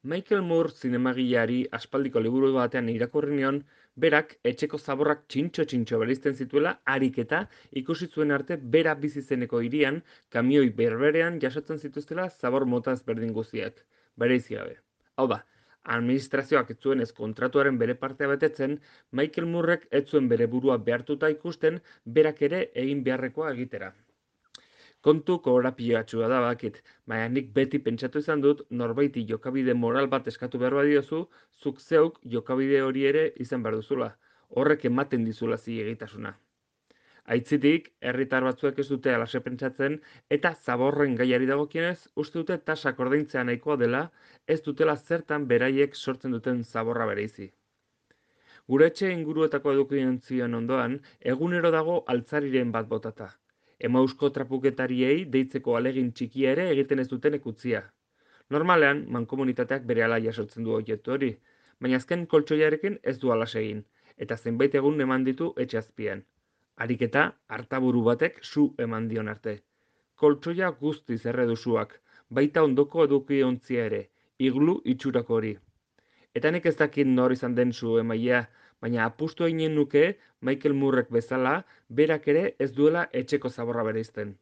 Michael Moore zinemagileari aspaldiko liburu batean irakurri nion, berak etxeko zaborrak txintxo-txintxo bereizten zituela harik eta ikusi zuen arte bera bizi zeneko hirian kamioi berberean jasotzen zituztela zabor mota ezberdin guztiak, bereizi gabe. Hau da, administrazioak ez zuenez kontratuaren bere partea betetzen, Michael Moorek ez zuen bere burua behartuta ikusten berak ere egin beharrekoa egitera. Kontu korapilatsua da bakit, baina nik beti pentsatu izan dut norbaiti jokabide moral bat eskatu behar badiozu, zuk zeuk jokabide hori ere izan behar duzula. Horrek ematen dizula zilegitasuna. Aitzitik, herritar batzuek ez dute alaxe pentsatzen eta zaborren gaiari dagokionez uste dute tasak ordaintzea nahikoa dela, ez dutela zertan beraiek sortzen duten zaborra bereizi. Gure etxe inguruetako edukiontzioen ondoan, egunero dago altzariren bat botata. Emausko trapuketariei deitzeko alegin txikia ere egiten ez dutenek utzia. Normalean, mankomunitateak berehala jasotzen du objektu hori, baina azken koltsoiarekin ez du alas egin, eta zenbait egun eman ditu etxe azpian. Harik eta hartaburu batek su eman dion arte. Koltsoia guztiz erredusuak, baita ondoko edukiontzia ere, iglu itxurako hori. Eta nik ez dakit nor izan den su emailea, baina apustu eginen nuke Michael Moorek bezala, berak ere ez duela etxeko zaborra bereizten.